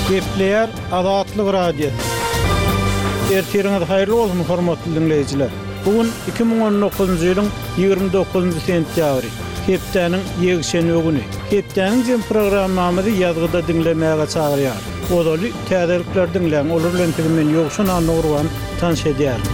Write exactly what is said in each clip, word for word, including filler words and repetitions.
Gepleýär Azatlyk Radiosy. Ertiriňiz haýyrly bolsun, hormatly diňleýjiler. Bu gün iki müň on dokuzynjy ýylyň ýigrimi dokuzynjy sentýabry, hepdäniň ýekşenbe güni. Hepdäniň jem programmamyzy ýazgyda diňlemäge çagyrýar. Ozaly täzelikler diňläň, olar bilen sizi men Ýowşan Annagurban tanyş edýärin.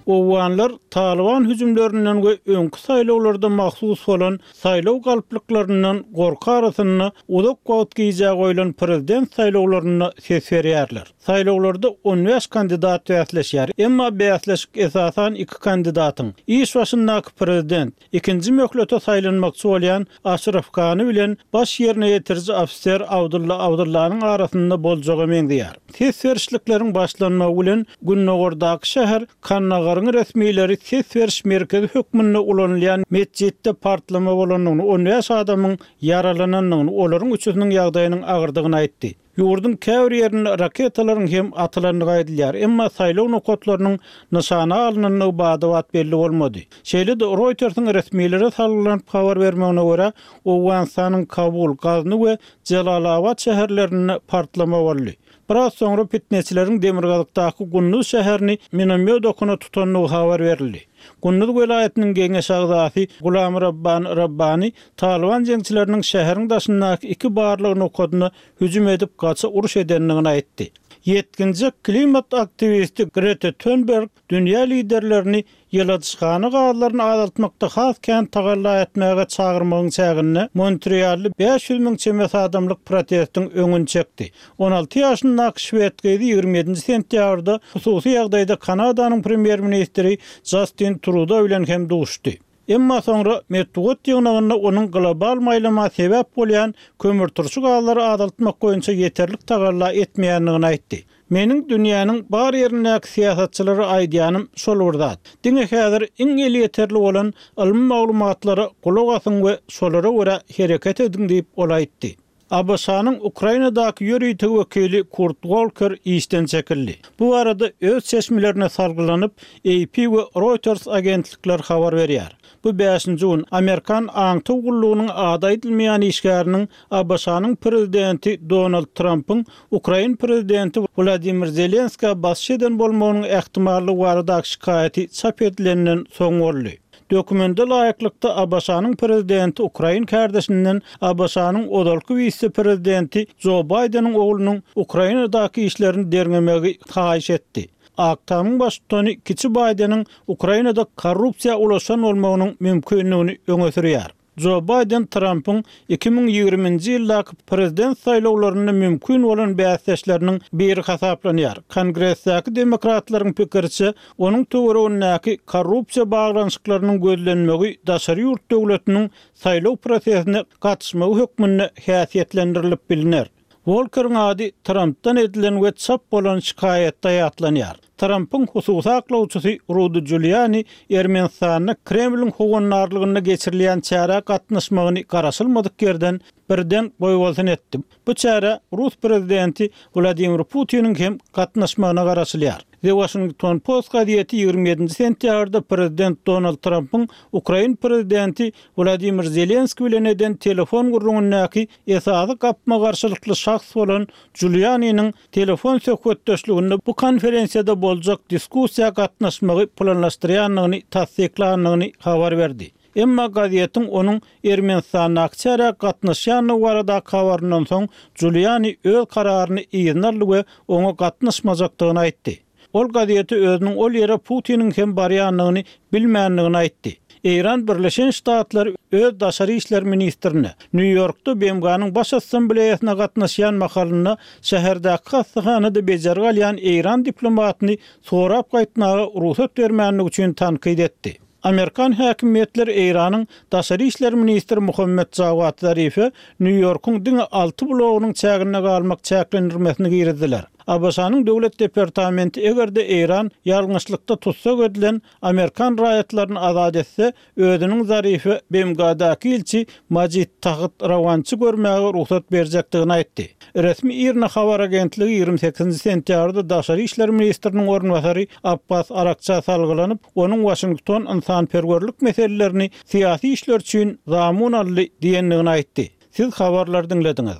Owganlar Taliban hüjümlerinden we öňki saýlawlarda mahsus bolan saýlaw galplyklaryndan gorky arasynda uzak wagt gijä goýlan prezident saýlawlarynda ses berýärler. Saýlawlarda on bäş kandidat bäsleşýär. Emma bäsleşik esasan iki kandidatyň, iş başyndaky prezident, ikinji möhlete saýlanmakçy bolýan Aşraf Gani bilen baş ýerine ýetiriji ofiser Abdulla Abdullanyň arasynda boljaga meňzeýär. Ses berişlikleriň başlanmagy bilen Gündogardaky şäher Kandagaryň resmileri ses beriş merkezi hökmünde ulanylýan metjitde partlama bolandygyny, on bäş adamyň ýaralanandygyny, olaryň üçüsiniň ýagdaýynyň agyrdygyny aýtdy. Ýurduň käbir ýerinde raketalaryň hem atylandygy aýdylýar, emma saýlaw nokatlarynyň nyşana alynandygy bada-bat belli bolmady. Şeýle-de Reuters'in resmilere salgylanyp habar bermegine görä, Owganystanyň Kabul, Gazny we Jalalabad şäherlerinde partlama boldy. Biraz soňra fitneçileriň Demirgazykdaky Gunduz şäherini minomyot okuna tutandygy habar berildi. Gunduz welaýatynyň geňeş agzasy Gulam Rabban Rabbani Taliban jeňçileriniň şäheriň daşyndaky iki barlyk nokadyna hüjüm edip gaça uruş edendigini aýtdy. Ýetginjek klimat aktiwisti Greta Thunberg dünýä liderlerini ýyladyşhana gazlaryny azaltmakda has kän tagalla etmäge çagyrmagyň çäginde Montreally bäş ýüz müň çemesi adamlyk protestiň öňüni çekdi. on alty ýaşyndaky şwed gyzy ýigrimi ýedinji sentýabrda hususy ýagdaýda Kanadanyň premýer-ministri Justin Trudeau bilen hem duşdy. Emma soňra metbugat ýygnagynda onuň global maýlama sebäp bolýan kömürturşy gazlary azaltmak boýunça ýeterlik tagalla etmeýändigini aýtdy. Meniň dünýäniň bar ýerindäki syýasatçylara aýdýanym şol bir zat. Diňe häzir iň elýeterli bolan ylmy maglumatlara gulak asyň we şolara görä hereket ediň diýip ol aýtdy. A B Ş-nyň Ukrainadaky ýörite wekili Kurt Volker işden çekildi. Bu arada öz çeşmelerine salgylanyp A P we Reuters agentlikler habar berýär. Bu bäşinji gün Amerikan aňtaw gullugynyň ady aýdylmaýan işgäriniň A B Ş-nyň prezidenti Donald Trumpyň Ukrain prezidenti Wladimir Zelenska basyş eden bolmagynyň ähtimallygy baradaky şikaýaty çap edilenden soň boldy. Dokumenta laýyklykda A B Ş-nyň prezidenti Ukrain kardeşinden A B Ş-nyň ozalky wise-prezidenti Joe Bideniň oglunyň Ukrainadaky işlerini derňemegi haýyş etdi. Ak Tamyň baştutany kiçi Bideniň Ukrainada korrupsiýa ulaşan bolmagynyň mümkinligini öňe sürýär. Joe Biden Trumpyň iki müň ýigriminji ýyldaky prezident saýlawlarynda mümkin bolan bäsdeşleriniň biri hasaplanýar. Kongresdäki demokratlaryň pikiriçe, onuň töweregindäki korrupsiýa baglanyşyklarynyň gözlenmegi daşary ýurt döwletiniň saýlaw prosesine gatyşmagy hökmünde häsiýetlendirilip biliner. Volkeriň ady Trumpdan edilen we çap bolan şikaýatda ýatlanýar. Trumpyň hususy aklawçysy Rudy Giuliani Ermenistanda Kremliň howandarlygynda geçirilýän çärä gatnaşmagyny garaşylmadyk ýerden birden goýbolsun etdi. Bu çärä Rus prezidenti Wladimir Putiniň hem gatnaşmagyna garaşylýar. The Washington Post gazeti ýigrimi ýedinji sentýabrda prezident Donald Trumpyň Ukrain prezidenti Wladimir Zelenski bilen eden telefon gürrüňindäki esasy gapma-garşylykly şahs bolan Giulianiniň telefon söhbetdeşliginde bu konferensiýada boljak diskussiýa gatnaşmagy planlaşdyrýandygyny tassyklandygyny habar berdi. Emma gazetiň onuň Ermenistandaky çärä gatnaşýandygy baradaky habaryndan soň Giuliani öz kararyny yzyna aldy we oňa gatnaşmajakdygyny aýtdy. Ol gazeti özüniň ol ýere Putiniň hem barýandygyny bilmändigini aýtdy. Eýran Birleşen Ştatlary öz daşary işler ministrine Nýu-Ýorkda B M G-nyň Baş Assambleýasyna gatnaşýan mahalynda şäherdäki hastahanada bejergi alýan Eýran diplomatyny sorap gaýtmaga rugsat bermänligi üçin tankyt etdi. Amerikan häkimiýetleri Eýranyň daşary işler ministri Muhammed Jawad Zarife Nýu-Ýorkuň diňe alty blogynyň çäginde galmak çäklendirmesini girizdiler. A B Ş-nyň Döwlet Departamenti eger-de Eýran ýalňyşlykda tutsak edilen Amerikan raýatlaryny azat etse, özüniň Zarife B M G-daky ilçi Majid Taht Rawançy görmäge rugsat berjekdigini aýtdy. Resmi IRNA habar agentligi ýigrimi sekizinji sentýabrda daşary işler ministriniň orunbasary Abbas Arakça salgylanyp, onuň Washington ynsanperwerlik meselelerini syýasy işler üçin zamun aldy diýendigini aýtdy. Siz habarlar diňlediňiz.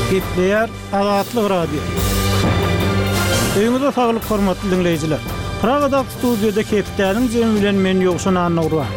Gepleýär Azatlyk Radiosy. Öýüňize saglyk hormatly diňleýjiler. Pragadaky studiýada hepdäniň jemi bilen men Ýowşan Annagurban.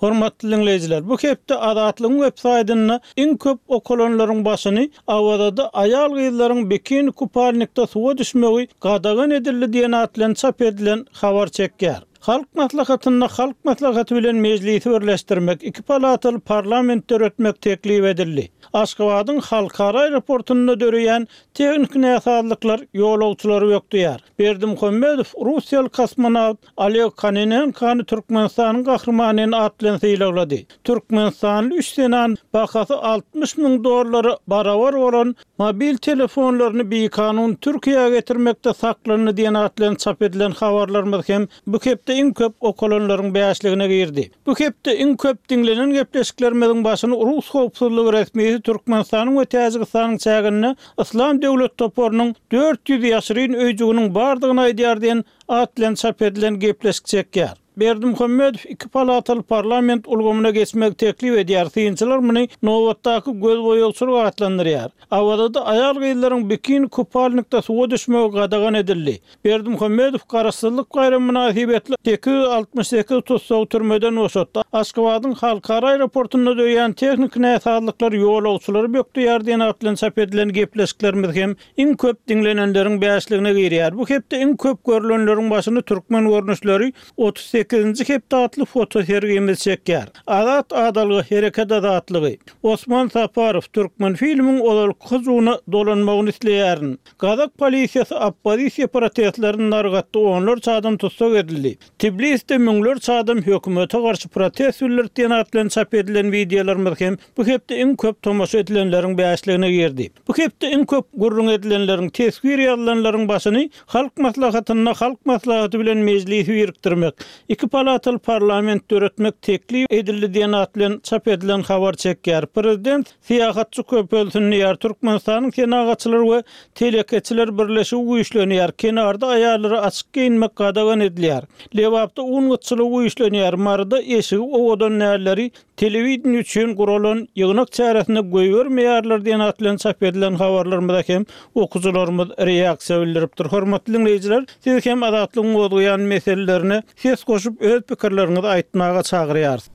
Hormatly diňleýjiler, bu hepde Azatlygyň web saýtynda iň köp okalanlaryň başyny Awazada aýal-gyzlaryň bikini kupalnikde suwa düşmegi gadagan edildi diýen at bilen çap edilen habar çekýär. Halk Maslahatynda Halk Maslahaty bilen Mejlisi birleşdirmek, iki palataly parlament döretmek teklip edildi. Aşgabadyň halkara aeroportunda döreýän tehniki näsazlyklar ýolagçylary bökdeýär. Berdimuhamedow russiýaly kosmonawt Oleg Kononenkony Türkmenistanyň Gahrymany at bilen sylaglady. Türkmenistanly üç zenan bahasy altmyş müň dollara barabar bolan mobil telefonlaryny bikanun Türkiýä getirmekde saklandy diýen at bilen çap edilen habarlarymyz hem bu hepde iň köp okalanlaryň bäşligine girdi. Bu hepde iň köp diňlenen gepleşiklerimiziň başyny rus howpsuzlygy resmisi Türkmenistanyň we Täjigistanyň çäginde Yslam döwlet toparynyň dört ýüz ýaşyryn öýjüginiň bardygyny aýdýar diýen at bilen çap edilen gepleşik çekýär. Berdimuhamedow iki palataly parlament ulgamyna geçmegi teklip edýär, synçylar muny nobatdaky gözboýagçylyk atlandyrýar. Awazada aýal-gyzlaryň bikini kupalnikde suwa düşmegi gadagan edildi. Berdimuhamedow Garaşsyzlyk baýramy mynasybetli sekiz ýüz altmyş sekiz tussagy türmeden boşatdy. Aşgabadyň halkara aeroportunda döreýän tehniki näsazlyklar ýolagçylary bökdeýär diýen at bilen çap edilen gepleşiklerimiz hem iň köp diňlenenleriň bäşligine girýär. Bu hepde iň köp görlenleriň başyny türkmen görnüşleri otuz sekizinji hepde atly fotosergimiz çekýär. Azat adalga hereket azatlygy. Osman Saparow Türkmenfilmiň ozalky hyjuwyna dolanmagyny isleýärin. Gazak polisiýasy oppozisiýa protestlerini dargatdy, onlarça adam tussag edildi. Tbiliside müňlerçe adam hökümete garşy protest bildirdi diýen at bilen çap edilen wideolarymyz hem bu hepde iň köp tomaşa edilenleriň bäşligine girdi. Bu hepde iň köp gürrüň edilenleriň, teswir ýazylanlaryň başyny Halk Maslahatynda Halk Maslahaty bilen Mejlisi birikdirmek, iki palataly parlament döretmek teklip edildi diýen at bilen çap edilen habar çekýär. Prezident syýahatçy köpelsin diýýär, Türkmenistanyň Senagatçylar we telekeçiler birleşigi güýçlenýär, kenarda aýallara açyk geýinmek gadagan edilýär, Lebapda un gytçylygy güýçlenýär, Maryda eşigi owadan nälleri telewideniýe üçin guralan ýygnak çäresine goýbermeýärler diýen at bilen çap edilen habarlarymyza hem okyjylarymyz reaksiýa bildiripdir. Hormatly diňleýjiler, sizi hem Azatlygyň gozgaýan meselelerine ses goşup öz pikirleriňizi aýtmaga çagyrýarys.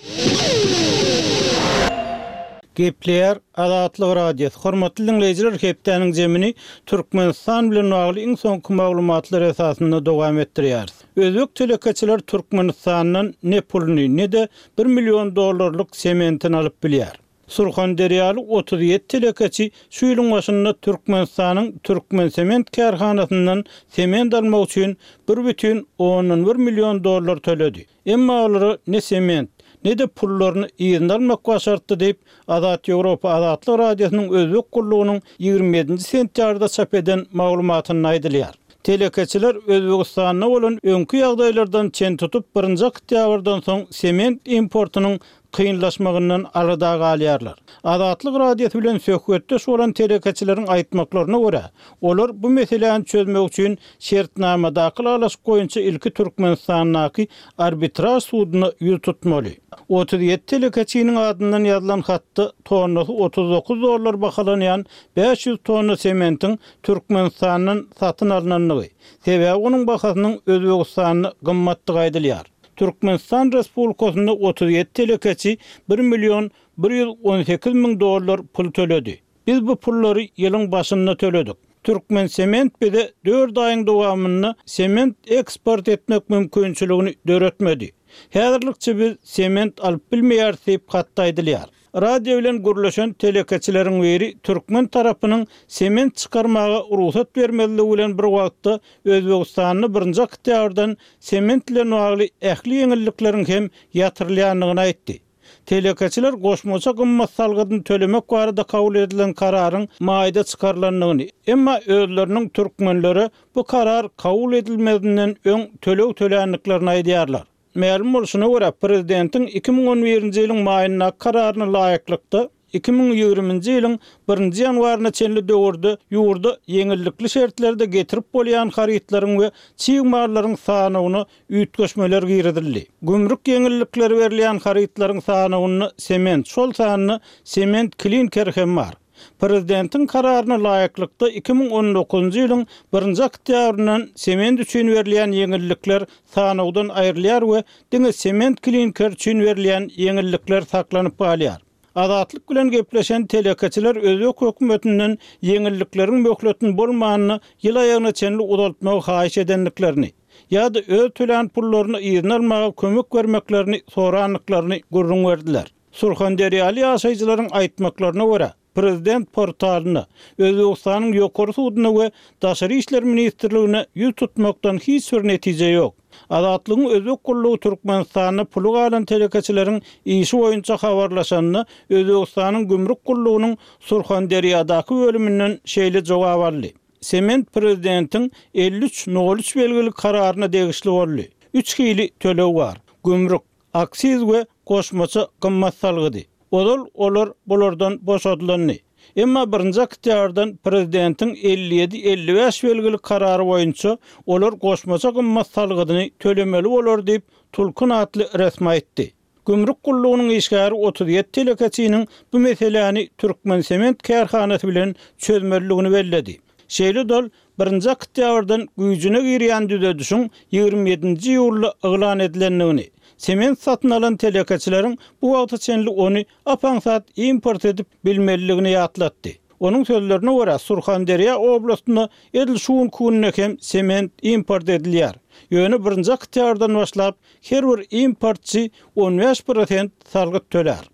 Gepleýär Azatlyk Radiosy. Hormatly diňleýjiler, hepdäniň jemini Türkmenistan bilen bagly iň soňky maglumatlar esasynda dowam etdirýäris. Özbek telekeçiler Türkmenistandan ne puluny, ne-de bir million dollarlyk sementini alyp bilýär. Surhanderýaly otuz ýedi telekeçi şu ýylyň başynda Türkmenistanyň Türkmensement kärhanasyndan sement almak üçin bir bütin ondan bir million dollar töledi. Emma olara ne sement, ne-de pullaryny yzyna almak başartdy diýip, Azat Ýewropa Azatlyk Radiosynyň Özbek gullugynyň ýigrimi ýedinji sentýabrda çap eden maglumatynda aýdylýar. Telekeçiler Özbegistanda bolan öňki ýagdaýlardan çen tutup, birinji oktýabrdan soň sement importynyň kynlaşmagyndan alada galýarlar. Azatlyk Radiosy bilen söhbetdeş bolan telekeçileriň aýtmaklaryna görä, olar bu meseläni çözmek üçin şertnamadaky ylalaşyk boýunça ilki Türkmenistandaky arbitraž suduna ýüz tutmaly. Otuz ýedi telekeçiniň adyndan ýazylan hatda tonnasy otuz dokuz dollar bahalanýan bäş ýüz tonna sementiň Türkmenistandan satyn alnandygy, sebäbi onuň bahasynyň Özbegistanda gymmatdygy aýdylýar. Türkmenistan Respublikasynda otuz ýedi telekeçi bir million bir ýüz on sekiz müň dollar pul töledi. Biz bu pullary ýylyň başynda töledik. Türkmensement bize dört aýyň dowamynda sement eksport etmek mümkinçiligini döretmedi. Häzirlikçe biz sement alyp bilmeýäris diýip hatda aýdylýar. Radio bilen gürleşen telekeçileriň biri türkmen tarapynyň sement çykarmaga rugsat bermezligi bilen bir wagtda Özbegistanda birinji oktýabrdan sement bilen bagly ähli ýeňillikleriň hem ýatyrylýandygyny aýtdy. Telekeçiler goşmaça gymmat salgydyny tölemek barada kabul edilen kararyň maýda çykarylandygyny, emma özleriniň türkmenlere bu karar kabul edilmezinden öň töleg töländiklerini aýdýarlar. Mälim bolşuna görä, prezidentiň iki müň on birinji ýylyň maýyndaky kararyna laýyklykda, iki müň ýigriminji ýylyň birinji ýanwaryna çenli döwürde ýurda ýeňillikli şertlerde getirip bolýan harytlaryň we çig mallaryň sanawyna üýtgeşmeler girizildi. Gümrük ýeňillikleri berilýän harytlaryň sanawynda sement, şol sanda sement klinker hem bar. Prezidentiň kararyna laýyklykda iki müň on dokuzynjy ýylyň birinji oktýabryndan sement üçin berilýän ýeňillikler sanawdan aýrylýar we diňe sement klinker üçin berilýän ýeňillikler saklanyp galýar. Azatlyk bilen gepleşen telekeçiler özbek hökümetinden ýeňillikleriň möhletini bolmanyny ýyl aýagyna çenli uzaltmagy haýyş edendiklerini ýa-da öz tölän pullaryny yzyna almaga kömek bermeklerini sorandyklaryny gürrüň berdiler. Surhanderýaly ýaşaýjylaryň aýtmaklaryna görä, Prezident portalyna, Özbekistanyň ýokary suduna we Daşary işler ministrligine ýüz tutmakdan hiç bir netije ýok. Azatlygyň Özbek gullugy Türkmenistanda puly galan telekeçileriň işi boýunça habarlaşanda Özbekistanyň gümrük gullugynyň Surhanderýadaky bölüminden şeýle jogap aldy. Sement prezidentiň elli üç nol üç belgili kararyna degişli boldy. Üç hili töleg bar. Gümrük, aksiz we goşmaça gymmat salgydy. Ozal olar bulardan boşadylandy. Emma birinji oktýabrdan prezidentiň elli ýedi elli bäş belgili karary boýunça olar goşmaça gymmat salgydyny tölemeli bolar diýip Tulkun atly resmi aýtdy. Gümrük gullugynyň işgäri otuz ýedi telekeçiniň bu meseläni Türkmen sement kärhanasy bilen çözmeliligini belledi. Şeýle dol birinji oktýabrdan güýjüne girýän düzedişiň ýigrimi ýedinji iýulda yglan edilendigini, sement satyn alan telekeçileriň bu wagta çenli ony apaňsat import edip bilmeliligini ýatlatdy. Onuň sözlerine görä Surhanderýa oblastynda edil şu günki hem sement import edilýär. Ýöne birinji oktýabrdan başlap her bir importçy on bäş prosent salgyt tölär.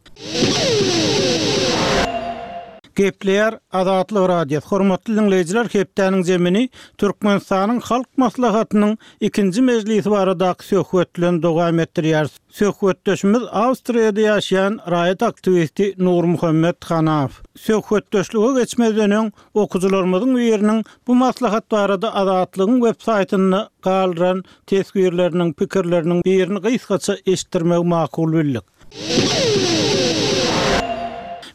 Gepleýär Azatlyk Radiosy. Hormatly dinleýjiler, hepdäniň zemini Türkmenistanyň Halk Maslahatynyň ikinji mejlisi baradaky söhbet bilen dowam etdirýär. Söhbetdeşimiz Awstriýada ýaşaýan raýat aktiwisti Nurmuhammet Hanaw. Söhbetdeşlige geçmezden öň okuwçylarymyzyň biriniň bu maslahat barada Azatlygyň web saýtynda galdyran teswirleriniň, pikirleriniň birini gysgaça eşitdirmegi makul bildik.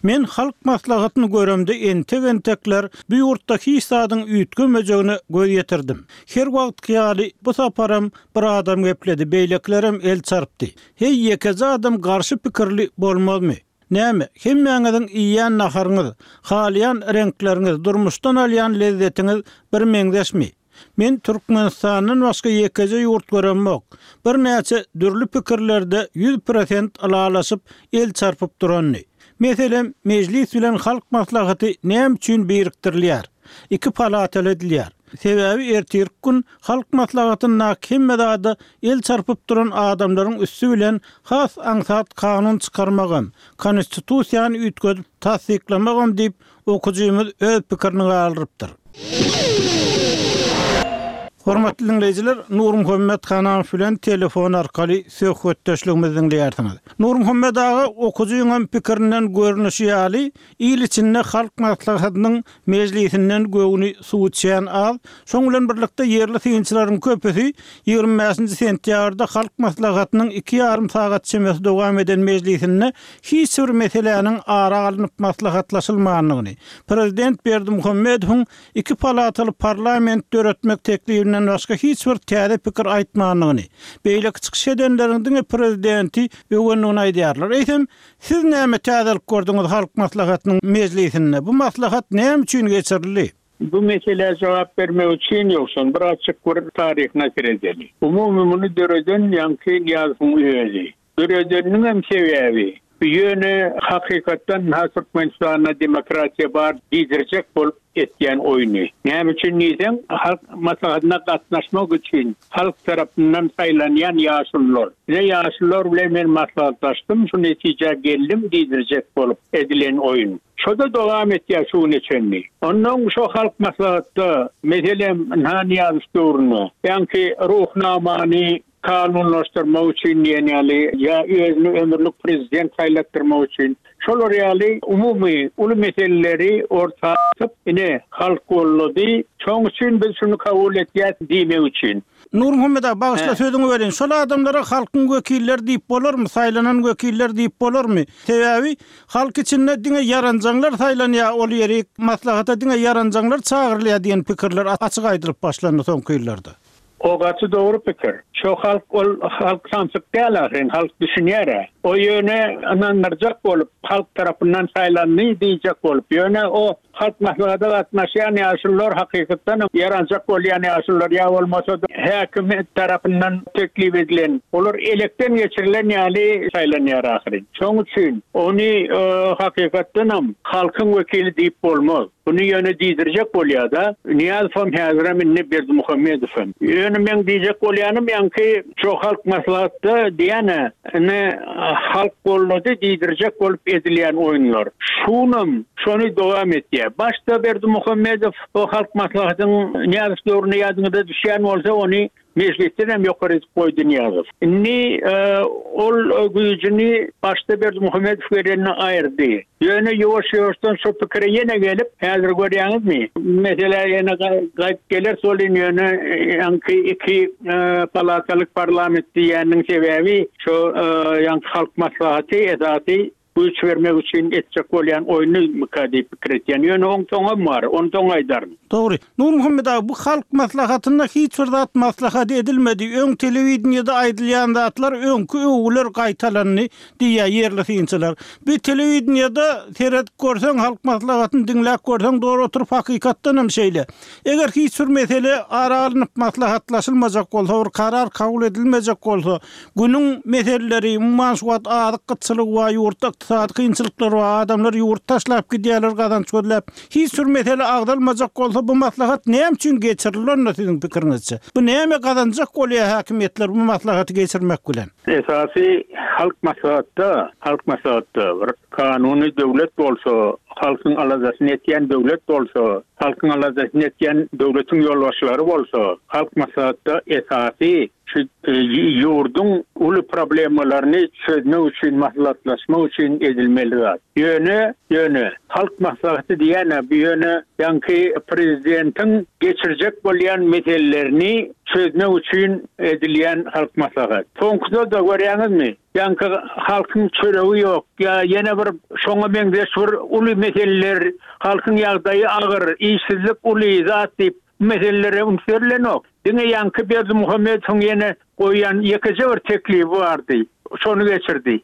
Men halk maslahatyny göremde entek-entekler bu ýurtda hiç zadyň üýtgemejegine göz ýetirdim. Her wagt ýaly bu saparam bir adam gepledi, beýlekilerem el çarpdy. Hey ýekeje adam garşy pikirli bolmazmy? Näme, hemmäňiziň iýen naharyňyz, halaýan reňkleriňiz, durmuşdan alýan lezzetiňiz bir meňzeşmi? Men Türkmenistandan başga ýekeje ýurt göremok. Bir näçe dürli pikirlerde ýüz prosent ylalaşyp el çarpyp durandy. Meselem, mejlis bilen halk maslahaty näme üçin birikdirilýär? Iki palataly edilýär. Sebäbi ertirki gün halk maslahatynda hemme zada el çarpyp duran adamlaryň üstü bilen has aňsat kanun çykarmagam, konstitusiýany üýtgedip tassyklamagam diýip okujymyz öz pikirini galdyrypdyr. Hormatly dinleýjiler, Nurmuhammet Hanaw bilen telefon arkaly söhbetdeşligimizi dinleýärsiňiz. Nurmuhammet aga okujynyň pikirinden görnüşi ýaly, il içinde halk maslahatynyň mejlisinden göwni suw içýän az, şoň bilen birlikde ýerli synçylaryň köpüsi ýigrimi bäşinji sentýabrda halk maslahatynyň iki ýarym sagat çemesi dowam eden mejlisinde hiç bir meseläniň ara alnyp maslahatlaşylmandygyny, Prezident Berdimuhamedowyň iki palataly parlament döretmek teklibinden başga hiç bir täze pikir aýtmandygyny, beýleki çykyş edenleriň diňe prezidenti öwendigini aýdýarlar. Eýsem, siz näme täzelik gördüňiz halk maslahatynyň mejlisinde? Bu maslahat näme üçin geçirildi? Bu meselä jogap bermek üçin ýoksa bir açyk bir taryhyna seredeli. Umumy muny döreden ýaňky Nyýazowyň özi. Döredeniniň hem sebäbi ýöne hakykatdan ha Türkmenistanda demokratiýa bar diýdirjek bolup etýän oýny. Näme üçin diýseň, halk maslahatyna gatnaşmak üçin halk tarapyndan saýlanýan ýaşulular. Bize ýaşulular bilen men maslahatlaşdym, şu netijä geldim diýdirjek bolup edilen oýun. Şoda dowam etýär şu güne çenli. Ondan şu halk maslahatda meselem Nyýazow döwründe, ýaňky ruhnamany kanunlaşdyrmak üçin diýen ýaly, ýa özüni ömürlik prezident saýlatdyrmak üçin şolar ýaly umumy uly meseleleri orta atyp, ine halk gollady, şoň üçin biz şunu kabul etýäs diýmek üçin. Nurmuhammet aga, bagyşla sözüňi böleýin. Şol adamlara halkyň wekilleri diýip bolarmy, saýlanan wekiller diýip bolarmy? Sebäbi halk içinde diňe ýaranjaňlar saýlanýar, ol ýeri maslahata diňe ýaranjaňlar çagyrylýar diýen pikirler açyk aýdylyp başlandy soňky ýyllarda. O gaty dogry pikir. Şo halk ol halk samsyk däl ahyryn, halk düşünýär. O ýöne ynandyrjak bolup, halk tarapyndan saýlandy diýjek bolup, ýöne o halk maslahata gatnaşýan ýaşulular hakykatdan ýaranjak bolýan ýaşulular ýa bolmasa häkimiýet tarapyndan teklip edilen, olar elekden geçirilen ýaly saýlanýar ahyryn. Şoň üçin ony hakykatdanam halkyň wekili diýip bolmaz. Bunu ýöne diýdirjek bolýar-da, Nyýazowam häzirem indi Berdimuhamedowam. Ýöne men diýjek bolýanym ýaňky şo halk maslahatda diýene, ine halk gollady diýdirjek bolup edilýän oýunlar. Şunam şony dowam etýär. Başda Berdimuhamedow o halk maslahatyň Nyýazow döwründe ýadyňyza düşýän bolsa ony mejlisden hem ýokary edip goýdy Nyýazow. Indi ol güýjüni başda Berdimuhamedow gelenine aýyrdy. Ýöne ýuwaş-ýuwaşdan şu pikire ýene gelip, häzir görýäňizmi? Mesela ýene gaýyp geler solin ýöne ýaňky iki palatalyk parlament diýýäniň sebäbi şo ýaňky halk maslahaty esasy güýç bermek üçin etjek bolýan oýny myka diýip pikir etýän. Ýöne oň soňam bar, ony soň aýdaryn. Dogry. Nurmuhammet aga, bu halk maslahatynda hiç bir zat maslahat edilmedi. Öň telewideniýede aýdylýan zatlar öňki öwgüler gaýtalandy diýýär ýerli synçylar. Bu telewideniýede seret görseň halk maslahatyny diňläp görseň dogry oturyp hakykatdan hem şeýle. Eger hiç bir mesele ara alnyp maslahatlaşylmajak bolsa, bir karar kabul edilmejek bolsa, günüň meseleleri, umuman şu wagt azyk gytçylygy bar, ýurtda ykdysady kynçylyklar bar, adamlar ýurt taşlap gidýärler gazanç gözläp. Hiç bir mesele agzalmajak bolsa bu maslahat näme üçin geçirilende siziň pikiriňizçe? Bu näme gazanjak bolýar häkimiýetler bu maslahaty geçirmek bilen? Esasy halk maslahatda, halk maslahatda bir kanuny döwlet bolsa, halkyň aladasyny etýän döwlet bolsa, halkyň aladasyny etýän döwletiň ýolbaşçylary bolsa, halk maslahatda esasy şu ýurduň uly problemalaryny çözmek üçin maslahatlaşmak üçin edilmeli zat. Ýöne, ýöne halk maslahaty diýene bu ýöne ýaňky prezidentiň geçirjek bolýan meselelerini çözmek üçin edilýän halk maslahat. Soňkuda da görýäňizmi? Ýaňky halkyň çöregi ýok, ýa ýene bir şoňa meňzeş bir uly meseleler, halkyň ýagdaýy agyr, işsizlik uly zat diýip meselelere üns berilenok. Diňe ýaňky Berdimuhamedowyň ýene goýan ýekeje bir teklibi bardy. Şony geçirdi.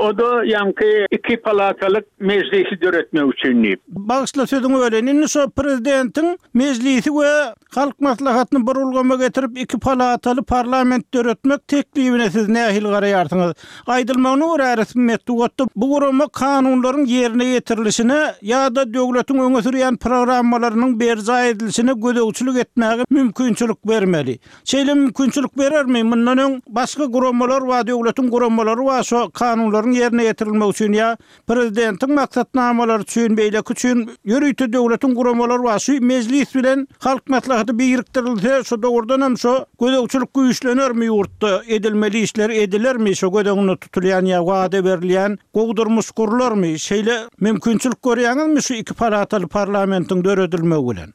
O da ýaňky iki palatalyk mejlisi döretmek üçin diýip. Bagyşla sözüňi böleýin. Indi şo prezidentiň mejlisi we halk maslahatyny bir ulgama getirip iki palataly parlament döretmek teklibine siz nähili garaýarsyňyz? Aýdylmagyna görä resmi metbugatda bu gurama kanunlaryň ýerine ýetirilişine ýa-da döwletiň öňe sürýän programmalarynyň berjaý edilişine gözegçilik etmäge mümkinçilik bermeli. Şeýle mümkinçilik berermi? Mundan öň başga guramalar bar, döwletiň guramalary bar, şo kanunlaryň ýerine ýetirilmegi üçin ýa prezidentiň maksatnamalary üçin, beýleki üçin ýörite döwletiň guramalary bar. Şu mejlis bilen halk maslahaty birikdirilse, şu dogrudan hem şo gözegçilik güýçlenermi ýurtda, edilmeli işler edilermi, şo göz öňünde tutulýan ýa wada berilýän gowy durmuş gurlarmy? Şeýle mümkinçilik görýäňizmi şu iki palataly parlamentiň döredilmegi bilen?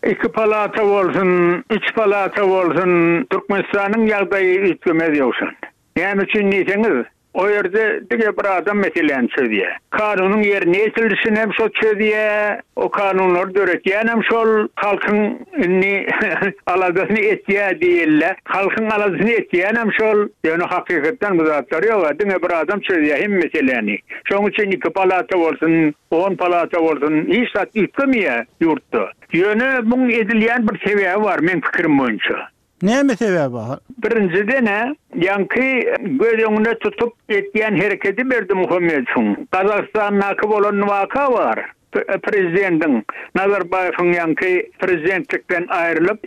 Iki palata bolsun, üç palata bolsun, Türkmenistanyň ýagdaýy üýtgemez ýoksun. Näme üçin diýseňiz, o ýerde diňe bir adam meseläni çözýär. Kanunyň ýerine ýetirilişini hem şo çözýär, o kanunlary döretýän hem şol halkyň indi aladasyny etýär diýildi. Halkyň aladasyny etýän hem şol, ýöne hakykatdan bu zatlar ýok, diňe bir adam çözýär hem meseläni. Şoň üçin iki palata bolsun, on palata bolsun, hiç zat üýtgemeýär ýurtda. Ýöne muň edilýän bir sebäbi bar men pikirim boýunça. Näme sebäbi bar? Birinjiden, ýaňky göz öňüne tutup etýän hereketi Berdimuhamedowyň. Gazagystandaky bolan waka bar. Prezidentiň Nazarbaýewiň ýaňky prezidentlikden aýrylyp,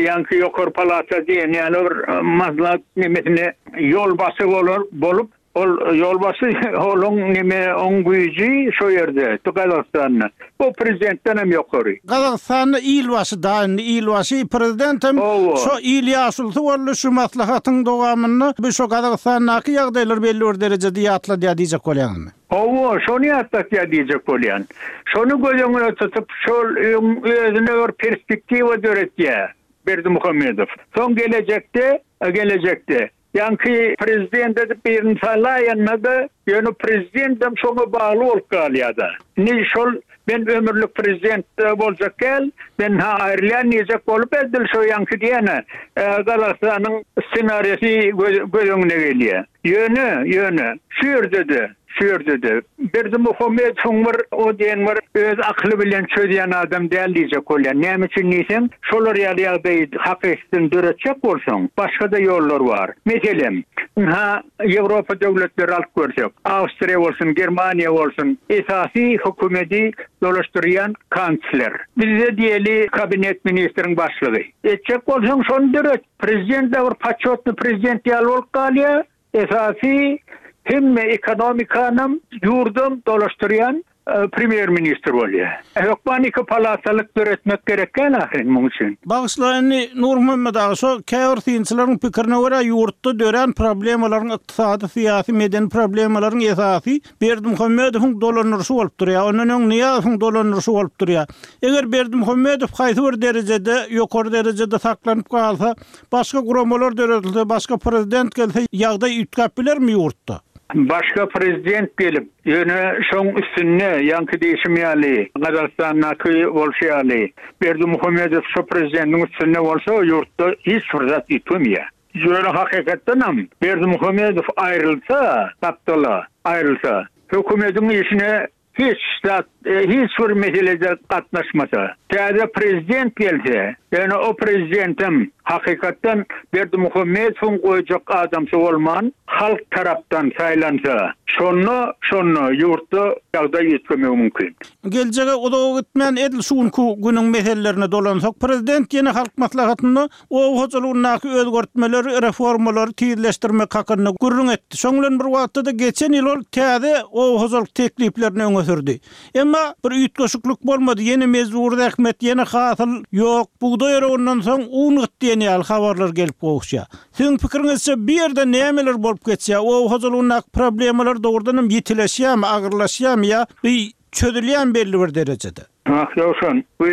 ýaňky ýokary palata diýen ýaly bir maslahat nemesine ýolbaşçy bolar bolup, ol ýolbaşçy onuň neme oň güýji şo ýerde, Gazagystanda. Bu prezidentden hem ýokary. Gazagystanda ilbaşy da indi ilbaşy prezident hem şo il ýaşulysy boldy şu maslahatyň dowamynda bu şo Gazagystandaky ýagdaýlar belli bir derejede ýatladýar diýjek bolýaňmy? Hawa, şony ýatlatýar diýjek bolýan. Şony göz öňüne tutup, şol özüne bir perspektiwa döretýär. Berdimuhamedow. Soň gelejekde, gelejekde ýaňky prezident edip birini saýlaýanda-da, ýöne prezidentem şoňa bagly bolup galýar-da. Indi şol men ömürlik prezident boljak däl, men ha aýrylýan diýjek bolup edil şo ýaňky diýene Gazagystanyň ssenariýasy göz öňüne gelýär. Ýöne, ýöne şu ýerde-de, şu ýerde-de Berdimuhamedowyň bir o diýen bir öz akyly bilen çözýän adam däl diýjek bolýan. Näme üçin diýseň, şolar ýaly ýagdaýy hakykatdan döretjek bolsaň, başga-da ýollar bar. Meselem, ha Ýewropa döwletleri alyp görsek, Awstriýa bolsun, Germaniýa bolsun, esasy hökümeti dolaşdyrýan kansler. Bizde diýeli kabinet ministriň başlygy. Etjek bolsaň şony döret. Prezident de bir paçotny prezident ýaly bolup galýar. Esasy hemme ekonomikanam ýurdum dolaşdyrýan premýer ministr bolýar. Hökman iki palatalyk döretmek gerek däl ahyryn muň üçin. Bagyşla indi Nurmuhammet aga, şo käbir synçylaryň pikirine görä ýurtda dörän problemalaryň ykdysady, syýasy, medeni problemalaryň esasy Berdimuhamedowyň dolandyryşy bolup durýar. Ondan öň Nyýazowyň dolandyryşy bolup durýar. Eger Berdimuhamedow haýsy bir derejede, ýokary derejede saklanyp galsa, başga guramalar döredilse, başga prezident gelse, ýagdaý üýtgäp bilermi ýurtda? Başga prezident gelip, ýöne şoň üstünde ýaňky diýişim ýaly, Gazagystandaky bolşy ýaly, Berdimuhamedow şo prezidentiň üstünde bolsa, ýurtda hiç bir zat üýtgemeýär. Ýöne hakykatdanam Berdimuhamedow aýrylsa, gapdala aýrylsa, hökümetiň işine hiç zat, hiç bir meselede gatnaşmasa, täze prezident gelse, ýöne o prezidentem hakykatdan Berdimuhamedowyň goýjak adamsy bolman, halk tarapdan saýlansa, şonda, şonda ýurtda ýagdaý üýtgemegi mümkin. Geljege uzaga gitmän edil şu günki günüň meselelerine dolansak, prezident ýene halk maslahatynda oba hojalygyndaky özgertmeleri, reformalary tizleşdirmek hakynda gürrüň etdi. Şoň bilen bir wagtda da geçen ýyl ol täze oba hojalyk tekliplerini öňe sürdi. Emma bir üýtgeşiklik bolmady. Ýene mejbur zähmet, ýene hasyl ýok. Bugdaý orundan soň un gyt diýen ýaly habarlar gelip gowuşýar. Siziň pikiriňizçe bir ýerde nämeler bolup geçýär? Oba hojalygyndaky problemalar dogrudan hem ýitileşýärmi, agyrlaşýarmy ýa bir çözülýän belli bir derejede? Ah, Ýowşan, bu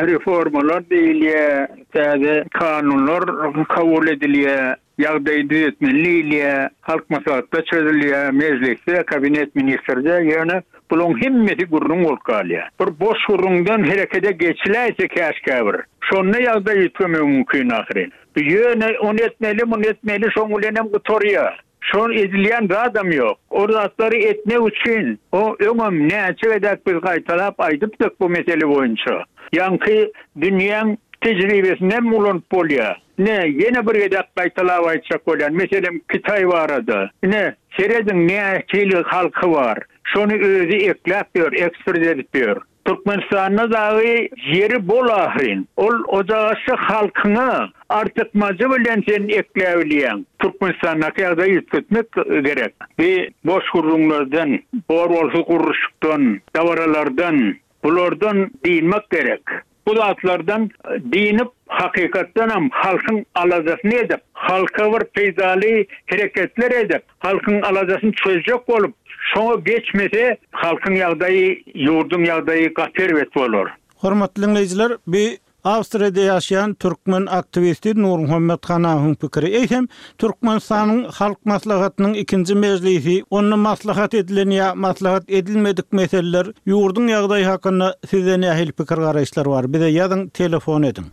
reformalar diýilýär, täze kanunlar kabul edilýär, ýagdaýy düzetmeli diýilýär, halk maslahatda çözülýär, mejlisde, kabinet ministrde, ýöne bularyň hemmesi gürrüň bolup galýar. Bir boş gürrüňden herekete geçiläýse käşgä bir. Şonda ýagdaý üýtgemegi mümkin ahyryn. Ýöne ony etmeli, muny etmeli, şoň bilen hem gutarýar. Şon edilýän zadam ýok. O zatlary etmek üçin o öňem näçe gezek biz gaýtalap aýdypdyk bu mesele boýunça. Ýaňky dünýäň tejribesinden ulanyp bolýar. Ne ýene bir gezek gaýtalap aýtjak bolýan, meselem Kitaý barada. Ne serediň näçe halky bar. Şony özi ekläp ýör, eksport edip ýör. Türkmenistanda dagy ýeri bol ahyryn. Ol ocagaşy halkyna artykmajy bilen sen ekläbilýän. Türkmenistandaky ýagdaýy üýtgetmek gerek. Bir boş gürrüňlerden, bor bolsa gurluşykdan, dabaralardan, bulardan diýmek gerek. Bu zatlardan dinip hakykatdanam halkyň aladasyny edip, halka bir peýdaly hereketler edip, halkyň aladasyny çözjek bolup, şoňa geçmese halkyň ýagdaýy, ýurduň ýagdaýy gaty erbet bolar. Hormatly dinleýjiler, bi Awstriýada ýaşaýan türkmen aktiwisti Nurmuhammet Hanawyň pikiri. Eýsem Türkmenistanyň Halk Maslahatynyň ikinji mejlisi, onda maslahat edilen ýa maslahat edilmedik meseleler, ýurduň ýagdaýy hakynda sizde nähili pikir garaýyşlar bar? Bize ýazyň, telefon ediň.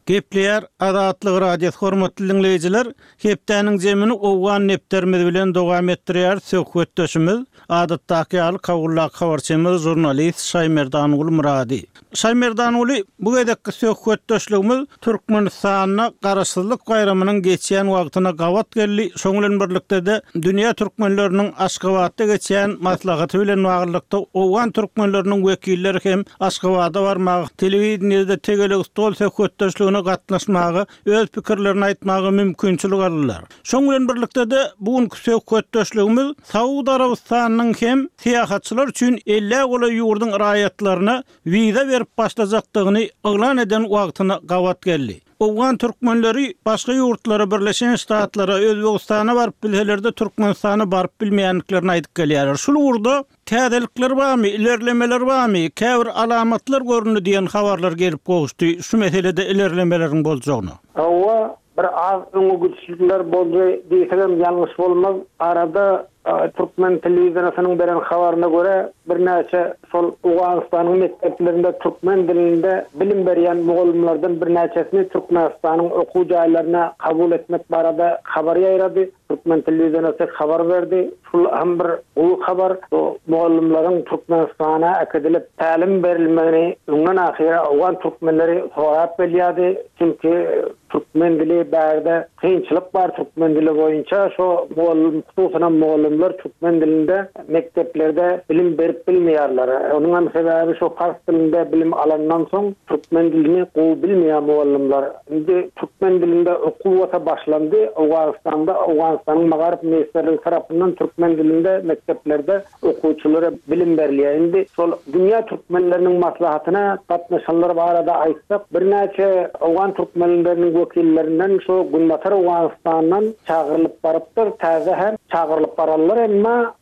Gepleýär Azatlyk Radiosy hormatly dinleýjiler, hepdäniň zemini Owgan nepterimiz bilen dowam etdirýär söhbetdeşimiz adatdaky ýaly Kagullak habarçymyz žurnalist Şaýmerdanguly Murady. Şaýmerdanguly, bu gezekki söhbetdeşligimiz Türkmenistanda Garaşsyzlyk baýramynyň geçýän wagtyna gabat geldi. Şoň bilen birlikde de dünýä türkmenleriniň Aşgabatda geçýän maslahaty bilen baglylykda Owgan türkmenleriniň wekilleri hem Aşgabada barmagy, telewideniýede tegelek stol söhbetdeşligine gatnaşmagy, öz pikirlerini aýtmaga mümkinçilik aldylar. Şoň bilen birlikde de bu günkü söhbetdeşligimiz Saud Arabystanynyň hem syýahatçylar üçin elli golaý ýurduň raýatlaryna wiza berip başlajakdygyny yglan eden wagtyna gabat geldi. Owgan türkmenleri başga ýurtlara, Birleşen Ştatlara, Özbegistana baryp bilseler-de Türkmenistana baryp bilmeýändiklerini aýdyp gelýärler. Şul ugurda täzelikler barmy, ilerlemeler barmy, käbir alamatlar göründi diýen habarlar gelip gowuşdy. Şu meselede ilerlemeleriň boljagyny. Hawa, bir az öňe gidişlikler boldy diýsem ýalňyş bolmaz. Arada Türkmen telewizionynyň beren habaryna görä birnäçe şol Owganystanyň mekdeplerinde türkmen dilinde bilim berýän mugallymlardan birnäçesini Türkmenistanyň okuw jaýlaryna kabul etmek barada habar ýaýrady. Türkmen telewiziony habar berdi. Şul hem bir gowy habar. Bu mugallymlaryň Türkmenistana äkidilip tälim berilmegini öňden ahyra Owgan türkmenleri sorap bilýärdi. Çünki türkmen dili bärde kynçylyk bar türkmen dili boýunça şo mugallym hususan mugallymlar türkmen dilinde mekdeplerde bilim berip bilmeýärler. Onuň hem sebäbi şo pars dilinde bilim alandan soň türkmen dilini gowy bilmeýän mugallymlar. Indi türkmen dilinde okuw bolsa başlandy. Owganystanda Owganystanyň Magaryf Ministrligi tarapyndan türkmen dilinde mekdeplerde okuwçylara bilim berilýär. Indi şol dünýä türkmenleriniň maslahatyna gatnaşanlar barada aýtsak, birnäçe Owgan türkmenleriniň wekillerinden şu Günbatar Owganistandan çagyrylyp barypdyr. Täze hem çagyrylyp bararlar emma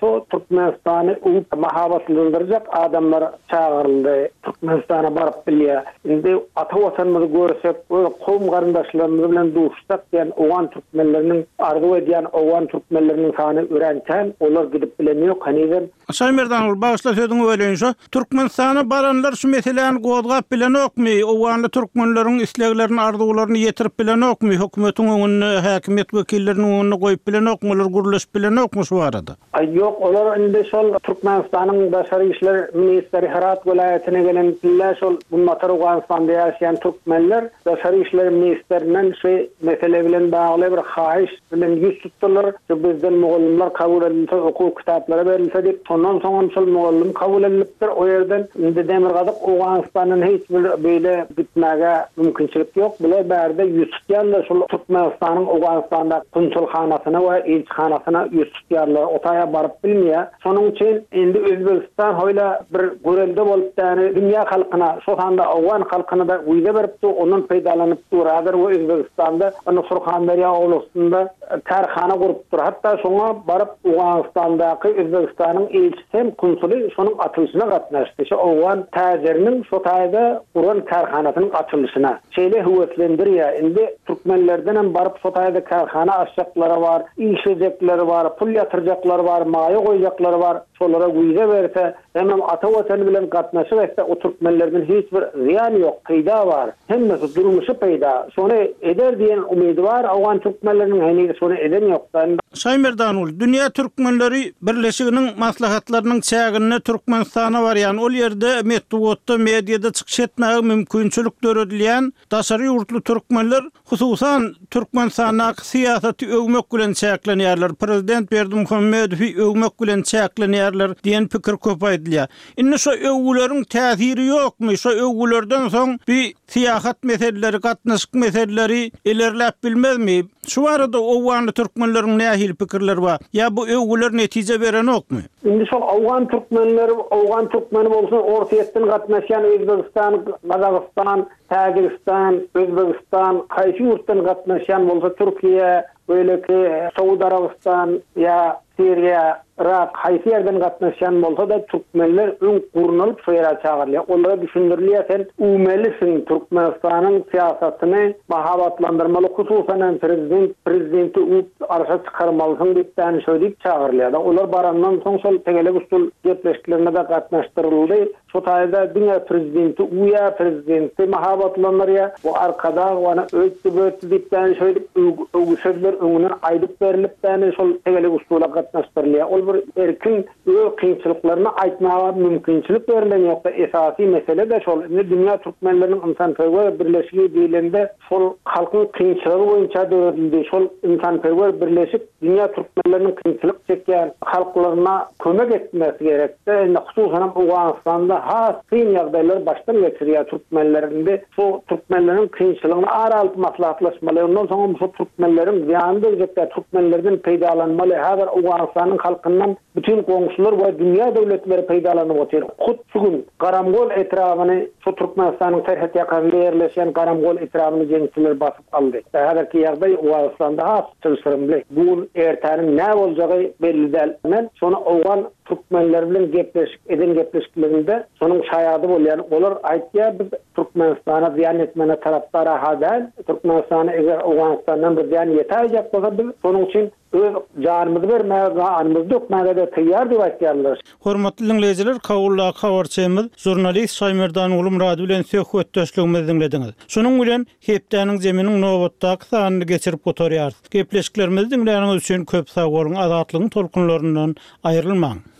şu Türkmenistany uwup mahabatlandyrjak adamlar çagyryldy. Türkmenistana baryp bilýär. Indi ata watanymyzy görsek, öz kowum garyndaşlarymyz bilen duşsak diýen Owgan türkmenleriniň arzuw edýän Owgan türkmenleriniň sany örän kän, olar gidip bilen ýok henizem. Şaýmerdan bagşla sözüňi böleýin şu. Türkmenistana baranlar şu meseläni gozgap bilenokmy? Owganly türkmenleriň isleglerini, arzuwlaryny ýetirip bilenokmy? Hökümetiň öňünde, häkimiýet wekilleriniň öňünde goýup bilenokmy? Olar gürleşip bilenokmy şu barada? Aý ýok, olar indi şol Türkmenistanyň Daşary işler ministri Herat welaýatyna gelen pille şol Günbatar Owganystanda ýaşaýan türkmenler Daşary işler ministrinden şu mesele bilen bagly bir haýyş bilen ýüz tutdular. Şu bizden mugallymlar kabul edilse, okuw kitaplary berilse diýip, şondan soň şol mugallym kabul edilipdir. O ýerden indi Demirgazyk Owganistandan hiç bir beýle gitmäge mümkinçilik ýok. Bular bärde ýüz tutýarlar şol Türkmenistanyň Owganistanda konsulhanasyna we ilçihanasyna ýüz tutýarlar. O taýa baryp bilmeýär. Şonuň üçin indi Özbegistan hoýla bir görelde bolup däni dünýä halkyna, şo sanda Owgan halkyna da wiza beripdi, ondan peýdalanyp duradyr we Özbegistanda ony Surhanderýa oblastynda kärhana gurupdyr. Hatda şoňa baryp Owganistandaky Özbegistanyň ilçisi hem konsuly şonuň açylyşyna gatnaşdy. Şo Owgan täjiriniň şo taýda guran kärhanasynyň açylyşyna. Şeýle höweslendirýär. Indi türkmenlerden hem baryp şo taýda kärhana açjaklary bar, işlejekleri bar, pul ýatyrjaklary bar, maýa goýjaklary bar. Şolara wiza berse, hemem ata watany bilen gatnaşyk etse, o türkmenlerden hiç bir zyýan ýok, peýda bar. Hemmesi durmuşy peýda. Şony eder diýen umydy bar, Owgan türkmenleriniň heniz şony eden ýok. Şaýmerdanul, dünýä türkmenleri birleşiginiň maslahatlarynyň çäginde Türkmenistana barýan, ol ýerde metbugatda, mediada çykyş etmäge mümkinçilik döredilýän daşary ýurtly türkmenler hususan Türkmenistandaky syýasaty öwmek bilen çäklenýärler. Prezident Berdimuhamedowy öwmek bilen çäklenýärler diýen pikir köp aýdylýar. Indi şu öwgüleriň täsiri ýokmy? Şu öwgülerden soň bir syýahat meseleleri, gatnaşyk meseleleri ilerläp bilmezmi? Şu arada Owganly türkmenleriň nähili pikirleri bar? Ýa bu öwgüler netije berenokmy? Indi şol Owgan türkmenleri, Owgan türkmeni bolsun, Orsýetden gatnaşýan Özbegistan, Gazagystan, Täjigistan, Özbegistan, haýsy ýurtdan gatnaşýan bolsa Türkiýe, beýleki Saud Arabystan ýa Siriýa, Irak haýsy ýerden gatnaşýan bolsa da türkmenler öň gurnalyp şo ýere çagyrylýar. Olara düşündirilýär, sen uwmelisiň Türkmenistanyň syýasatyny mahabatlandyrmaly, hususan hem prezident prezidenti uwup arşa çykarmalysyň diýip däni şo diýip çagyrylýar. Olar barandan soň şol tegelek üstül gepleşiklerine de gatnaşdyryldy. Şu taýda diňe prezidenti uýa, prezidenti mahabatlandyrýar. Bu arkadag wana öýtdi bötdi diýip däni şo diýip öwgü sözler öňünden aýdyp berilip däni şol tegelek üstüle gatnaşdyrylýar. Ol bir erkin öz kynçylyklaryny aýtmaga mümkinçilik berilen ýoksa esasy mesele de şol. Indi dünýä türkmenleriniň ynsanperwer birleşigi diýilende şol halkyň kynçylygy boýunça döredildi. Şol ynsanperwer birleşik dünýä türkmenleriniň kynçylyk çekýän halklaryna kömek etmesi gerekdi. Indi hususan hem Owganystanda has kyn ýagdaýlar başdan geçirýär türkmenlerinde. Şu türkmenleriň kynçylygyny ara alyp maslahatlaşmaly. Ondan soň şu türkmenleriň zyýany degjekde türkmenlerden peýdalanmaly. Häzir Owgan Owganystanyň halkyndan bütin goňşular we dünýä döwletleri peýdalanyp otyr. Hut şu gün Garamgol etrabyny, şu Türkmenistanyň serhet ýakasynda ýerleşýän Garamgol etrabyny jeňçiler basyp aldy. Häzirki ýagdaý Owganystanda has çylşyrymly. Bu gün ertäniň näme boljagy belli däl. Men şony owgan türkmenleri bilen gepleşik eden gepleşiklerinde şonuň şaýady bolýan. Olar aýtýar, biz Türkmenistana zyýan etmäne tarapdar-ha däl. Türkmenistana eger Owganystandan bir zyýan ýetäýjek bolsa, biz şonuň üçin öz janymyzy bermäge, ganymyzy dökmäge-de taýýar diýip aýtýarlar. Hormatly diňleýjiler, Kabuldaky habarçymyz žurnalist Şaýmerdan Gulumyrady bilen söhbetdeşligimizi diňlediňiz. Şonuň bilen hepdäniň zeminiň nobatdaky sanyny geçirip gutarýarys. Gepleşiklerimizi diňläniňiz üçin köp sag boluň, azatlygyň tolkunlaryndan aýrylmaň.